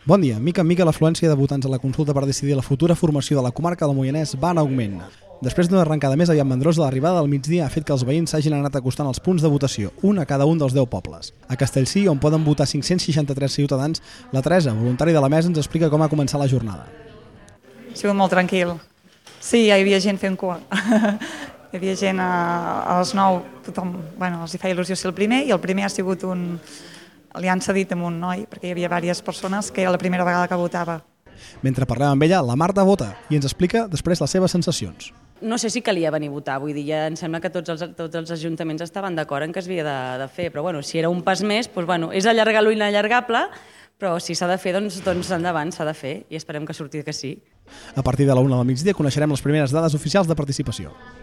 Bon dia. Mica en mica l'afluència de votants a la consulta per decidir la futura formació de la comarca del Moianès va en augment. Després d'una arrencada més aviat mandrosa, l'arribada del migdia ha fet que els veïns s'hagin anat acostant als punts de votació, un a cada un dels 10 pobles. A Castellcí, on poden votar 563 ciutadans, la Teresa, voluntària de la mesa, ens explica com ha començat la jornada. Ha sigut molt tranquil. Sí, hi havia gent fent cua. Hi havia gent a les 9, tothom, els hi feia il·lusió ser el primer, i el primer ha sigut li han cedit amb un noi, perquè hi havia diverses persones que era la primera vegada que votava. Mentre parlem amb ella, la Marta vota i ens explica després les seves sensacions. No sé si calia venir a votar, vull dir, ja em sembla que tots els ajuntaments estaven d'acord en que es havia de fer, però si era un pas més, és allargar lo inallargable, però si s'ha de fer, doncs endavant, s'ha de fer, i esperem que surti que sí. A partir de la 1 del migdia coneixerem les primeres dades oficials de participació.